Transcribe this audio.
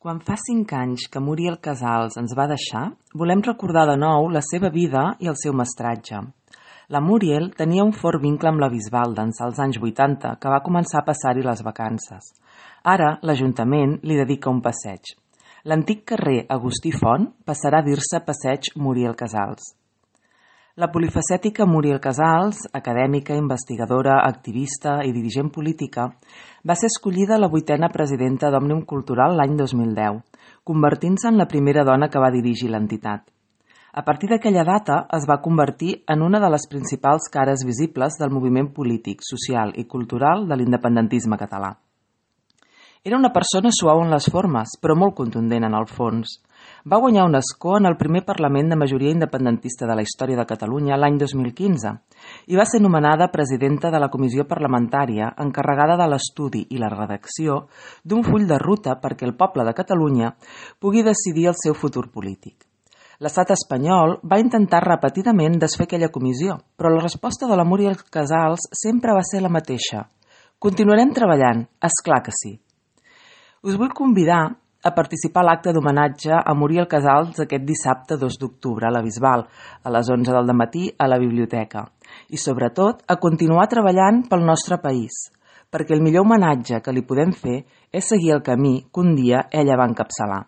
Quan fa 5 anys que Muriel Casals ens va deixar, volem recordar de nou la seva vida i el seu mestratge. La Muriel tenia un fort vincle amb la Bisbal d'ençà els anys 80, que va començar a passar-hi les vacances. Ara, l'Ajuntament li dedica un passeig. L'antic carrer Agustí Font passarà a dir-se Passeig Muriel Casals. La polifacètica Muriel Casals, acadèmica, investigadora, activista i dirigent política, va ser escollida la 8a presidenta d'Òmnium Cultural l'any 2010, convertint-se en la primera dona que va dirigir l'entitat. A partir d'aquella data es va convertir en una de les principals cares visibles del moviment polític, social i cultural de l'independentisme català. Era una persona suau en les formes, però molt contundent en el fons. Va guanyar un escó en el primer Parlament de majoria independentista de la història de Catalunya l'any 2015 i va ser nomenada presidenta de la comissió parlamentària encarregada de l'estudi i la redacció d'un full de ruta perquè el poble de Catalunya pugui decidir el seu futur polític. L'estat espanyol va intentar repetidament desfer aquella comissió, però la resposta de la Muriel Casals sempre va ser la mateixa. Continuarem treballant, és clar que sí. Us vull convidar a participar a l'acte d'homenatge a Muriel Casals aquest dissabte 2 d'octubre a la Bisbal, a les 11 del matí a la biblioteca. I sobretot a continuar treballant pel nostre país, perquè el millor homenatge que li podem fer és seguir el camí que un dia ella va encapçalar.